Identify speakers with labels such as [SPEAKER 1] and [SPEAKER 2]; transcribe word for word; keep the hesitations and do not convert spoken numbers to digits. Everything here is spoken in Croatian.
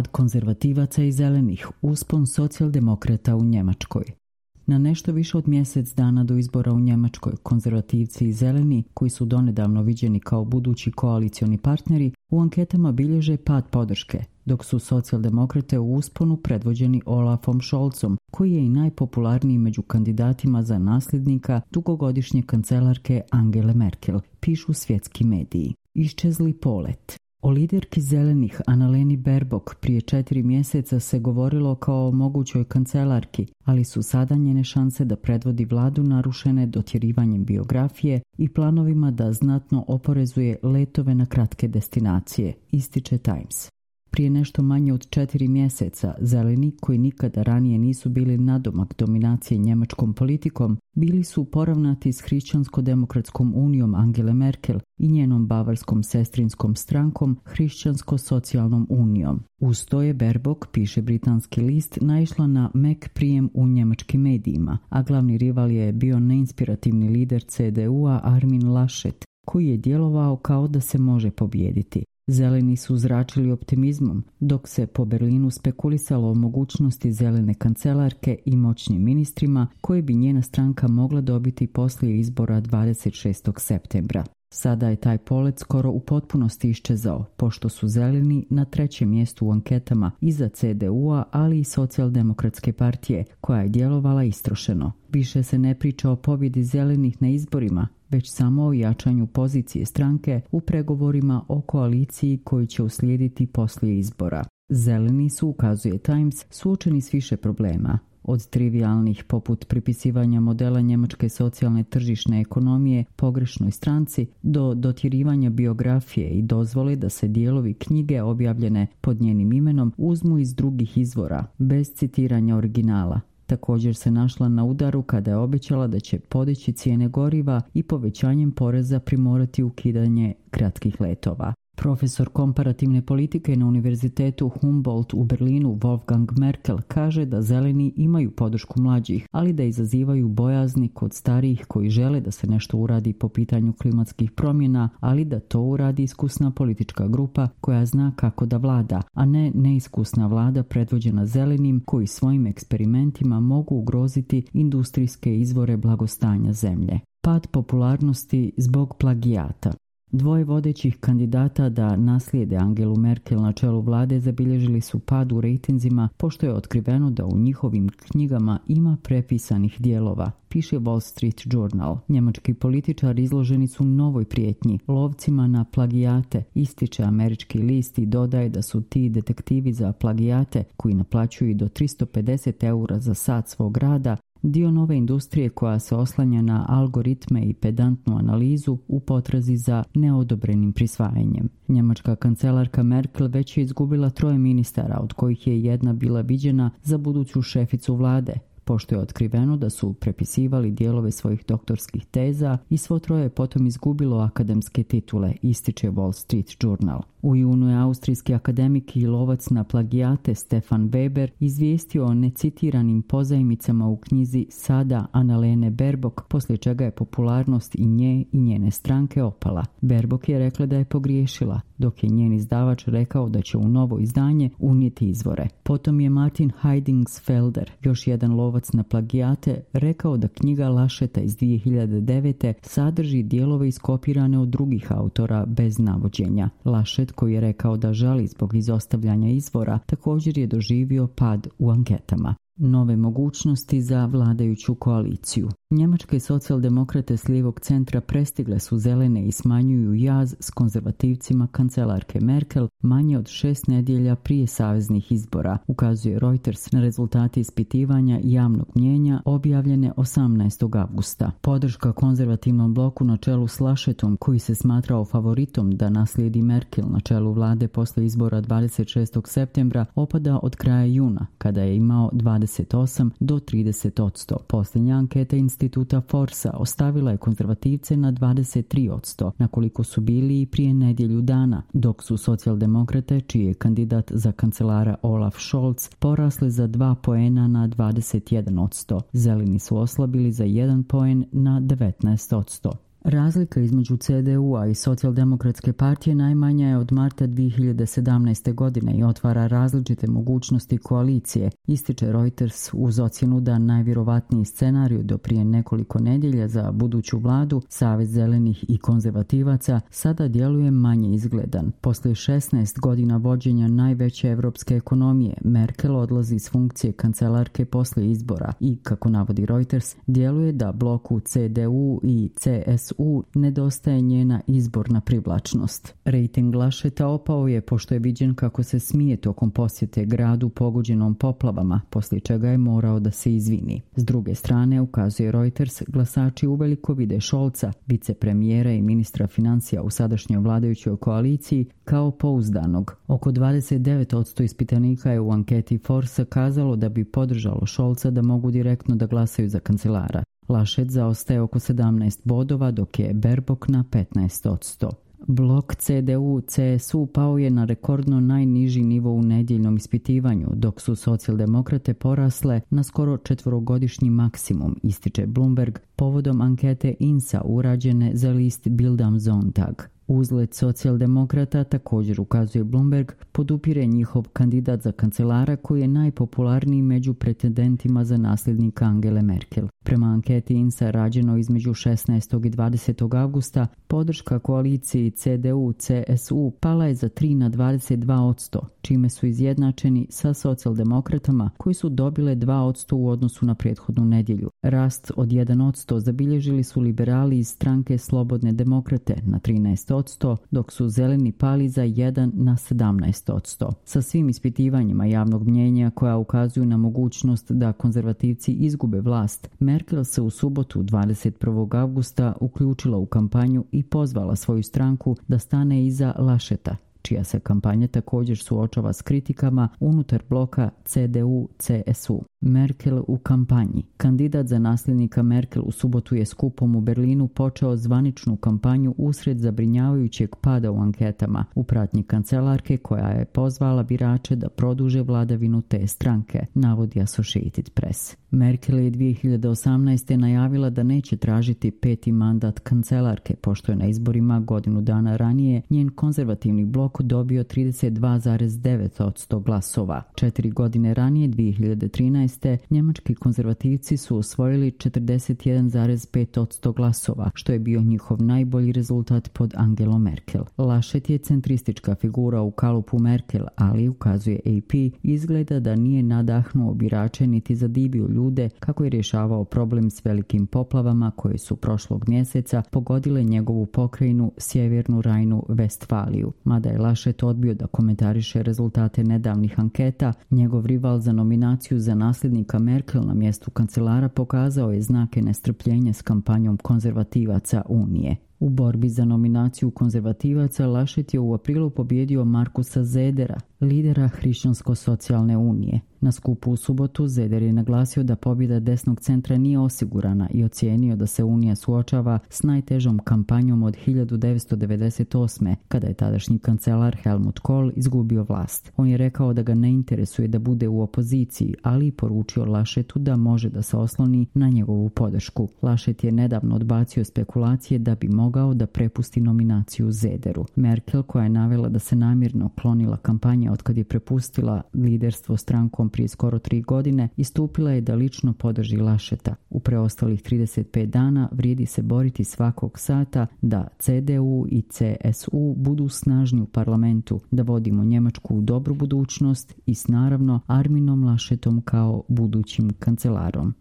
[SPEAKER 1] Pad konzervativaca i zelenih, uspon socijaldemokrata u Njemačkoj. Na nešto više od mjesec dana do izbora u Njemačkoj, konzervativci i zeleni, koji su donedavno viđeni kao budući koalicioni partneri, u anketama bilježe pad podrške, dok su socijaldemokrate u usponu predvođeni Olafom Scholzom, koji je i najpopularniji među kandidatima za nasljednika dugogodišnje kancelarke Angele Merkel, pišu svjetski mediji. Iščezli polet. O liderki zelenih Annaleni Baerbock prije četiri mjeseca se govorilo kao o mogućoj kancelarki, ali su sada njene šanse da predvodi vladu narušene dotjerivanjem biografije i planovima da znatno oporezuje letove na kratke destinacije, ističe Times. Prije nešto manje od četiri mjeseca, zeleni, koji nikada ranije nisu bili nadomak dominacije njemačkom politikom, bili su poravnati s Hrišćansko-demokratskom unijom Angele Merkel i njenom bavarskom sestrinskom strankom Hrišćansko-socijalnom unijom. Uz to je Baerbock, piše britanski list, naišla na mek prijem u njemačkim medijima, a glavni rival je bio neinspirativni lider C D U-a Armin Laschet, koji je djelovao kao da se može pobijediti. Zeleni su zračili optimizmom, dok se po Berlinu spekulisalo o mogućnosti zelene kancelarke i moćnim ministrima koje bi njena stranka mogla dobiti poslije izbora dvadeset šestog septembra. Sada je taj polet skoro u potpunosti iščezao, pošto su zeleni na trećem mjestu u anketama iza C D U-a, ali i socijaldemokratske partije, koja je djelovala istrošeno. Više se ne priča o pobjedi zelenih na izborima, već samo o jačanju pozicije stranke u pregovorima o koaliciji koji će uslijediti poslije izbora. Zeleni su, ukazuje Times, suočeni s više problema. Od trivialnih poput pripisivanja modela njemačke socijalne tržišne ekonomije pogrešnoj stranci do dotjerivanja biografije i dozvole da se dijelovi knjige objavljene pod njenim imenom uzmu iz drugih izvora, bez citiranja originala. Također se našla na udaru kada je obećala da će podići cijene goriva i povećanjem poreza primorati ukidanje kratkih letova. Profesor komparativne politike na Univerzitetu Humboldt u Berlinu Wolfgang Merkel kaže da zeleni imaju podršku mlađih, ali da izazivaju bojazni kod starijih koji žele da se nešto uradi po pitanju klimatskih promjena, ali da to uradi iskusna politička grupa koja zna kako da vlada, a ne neiskusna vlada predvođena zelenim koji svojim eksperimentima mogu ugroziti industrijske izvore blagostanja zemlje. Pad popularnosti zbog plagijata. Dvoje vodećih kandidata da naslijede Angelu Merkel na čelu vlade zabilježili su pad u rejtinzima pošto je otkriveno da u njihovim knjigama ima prepisanih dijelova, piše Wall Street Journal. Njemački političari izloženi su novoj prijetnji, lovcima na plagijate, ističe američki list i dodaje da su ti detektivi za plagijate, koji naplaćuju do tristo pedeset eura za sat svog rada, dio nove industrije koja se oslanja na algoritme i pedantnu analizu u potrazi za neodobrenim prisvajanjem. Njemačka kancelarka Merkel već je izgubila troje ministara, od kojih je jedna bila viđena za buduću šeficu vlade, pošto je otkriveno da su prepisivali dijelove svojih doktorskih teza i svo troje je potom izgubilo akademske titule, ističe Wall Street Journal. U junu je austrijski akademik i lovac na plagijate Stefan Weber izvijestio o necitiranim pozajmicama u knjizi Sada Annalene Baerbock, poslije čega je popularnost i nje i njene stranke opala. Baerbock je rekla da je pogriješila, dok je njen izdavač rekao da će u novo izdanje unijeti izvore. Potom je Martin Heidingsfelder, još jedan lovac na plagijate, rekao da knjiga Lascheta iz dvije hiljade devete sadrži dijelove iskopirane od drugih autora bez navođenja. Laschet, koji je rekao da žali zbog izostavljanja izvora, također je doživio pad u anketama. Nove mogućnosti za vladajuću koaliciju. Njemačke socijaldemokrate s lijevog centra prestigle su zelene i smanjuju jaz s konzervativcima kancelarke Merkel manje od šest nedjelja prije saveznih izbora, ukazuje Reuters na rezultati ispitivanja javnog mnijenja objavljene osamnaestog avgusta. Podrška konzervativnom bloku na čelu s Laschetom, koji se smatrao favoritom da naslijedi Merkel na čelu vlade posle izbora dvadeset šestog septembra, opada od kraja juna, kada je imao dvadeset osam do trideset odsto. Posljednja anketa instituta Forsa ostavila je konzervativce na dvadeset tri odsto, na koliko su bili i prije nedjelju dana, dok su socijaldemokrate, čiji je kandidat za kancelara Olaf Scholz, porasli za dva poena na dvadeset jedan odsto. Zeleni su oslabili za jedan poen na devetnaest odsto. Razlika između C D U-a i Socijaldemokratske partije najmanja je od marta dvije hiljade sedamnaeste. godine i otvara različite mogućnosti koalicije, ističe Reuters uz ocjenu da najvjerovatniji scenarij do prije nekoliko nedjelja za buduću vladu, Savez zelenih i konzervativaca, sada djeluje manje izgledan. Poslije šesnaest godina vođenja najveće evropske ekonomije, Merkel odlazi s funkcije kancelarke poslije izbora i, kako navodi Reuters, djeluje da bloku C D U i C S U nedostaje njena izborna privlačnost. Rejting Lascheta opao je pošto je viđen kako se smije tokom posjete gradu pogođenom poplavama, poslije čega je morao da se izvini. S druge strane, ukazuje Reuters, glasači uveliko vide Scholza, vicepremijera i ministra financija u sadašnjoj vladajućoj koaliciji, kao pouzdanog. Oko dvadeset devet posto ispitanika je u anketi Forsa kazalo da bi podržalo Scholza da mogu direktno da glasaju za kancelara. Laschet zaostaje oko sedamnaest bodova, dok je Baerbock na petnaest posto. Blok C D U C S U pao je na rekordno najniži nivo u nedjeljnom ispitivanju, dok su socijaldemokrate porasle na skoro četvorogodišnji maksimum, ističe Bloomberg, povodom ankete I N S A urađene za list Bild am Sonntag. Uzlet socijaldemokrata, također ukazuje Bloomberg, podupire njihov kandidat za kancelara koji je najpopularniji među pretendentima za nasljednika Angele Merkel. Prema anketi I N S A rađeno između šesnaestog i dvadesetog avgusta, podrška koaliciji C D U C S U pala je za tri na dvadeset dva posto, čime su izjednačeni sa socijaldemokratama koji su dobile dva posto u odnosu na prethodnu nedjelju. Rast od jedan posto zabilježili su liberali iz stranke Slobodne demokrate na trinaest posto, dok su zeleni pali za jedan na sedamnaest posto. Sa svim ispitivanjima javnog mnjenja koja ukazuju na mogućnost da konzervativci izgube vlast, Merkel se u subotu dvadeset prvog avgusta uključila u kampanju i pozvala svoju stranku da stane iza Lascheta, čija se kampanja također suočava s kritikama unutar bloka C D U C S U. Merkel u kampanji. Kandidat za nasljednika Merkel u subotu je skupom u Berlinu počeo zvaničnu kampanju usred zabrinjavajućeg pada u anketama u pratnji kancelarke koja je pozvala birače da produže vladavinu te stranke, navodi Associated Press. Merkel je dvije hiljade osamnaeste. najavila da neće tražiti peti mandat kancelarke, pošto je na izborima godinu dana ranije njen konzervativni blok dobio trideset dva zarez devet posto glasova. Četiri godine ranije, dvije hiljade trinaeste. njemački konzervativci su osvojili četrdeset jedan zarez pet posto glasova, što je bio njihov najbolji rezultat pod Angelom Merkel. Laschet je centristička figura u kalupu Merkel, ali, ukazuje A P, izgleda da nije nadahnuo birače niti zadivio ljude kako je rješavao problem s velikim poplavama koje su prošlog mjeseca pogodile njegovu pokrajinu Sjevernu Rajnu-Vestfaliju. Mada je Laschet odbio da komentariše rezultate nedavnih anketa, njegov rival za nominaciju za nasljednika Merkel na mjestu kancelara pokazao je znake nestrpljenja s kampanjom konzervativaca Unije. U borbi za nominaciju konzervativaca Laschet je u aprilu pobjedio Markusa Zedera, lidera Hrišćansko-socijalne unije. Na skupu u subotu Zeder je naglasio da pobjeda desnog centra nije osigurana i ocijenio da se Unija suočava s najtežom kampanjom od hiljadu devetsto devedeset osme. kada je tadašnji kancelar Helmut Kohl izgubio vlast. On je rekao da ga ne interesuje da bude u opoziciji, ali i poručio Laschetu da može da se osloni na njegovu podršku. Laschet je nedavno odbacio spekulacije da bi mogao da prepusti nominaciju Zederu. Merkel, koja je navela da se namjerno klonila kampanja otkad je prepustila liderstvo strankom prije skoro tri godine, istupila je da lično podrži Lascheta. U preostalih trideset pet dana vrijedi se boriti svakog sata da C D U i C S U budu snažni u parlamentu, da vodimo Njemačku u dobru budućnost i s naravno Arminom Laschetom kao budućim kancelarom.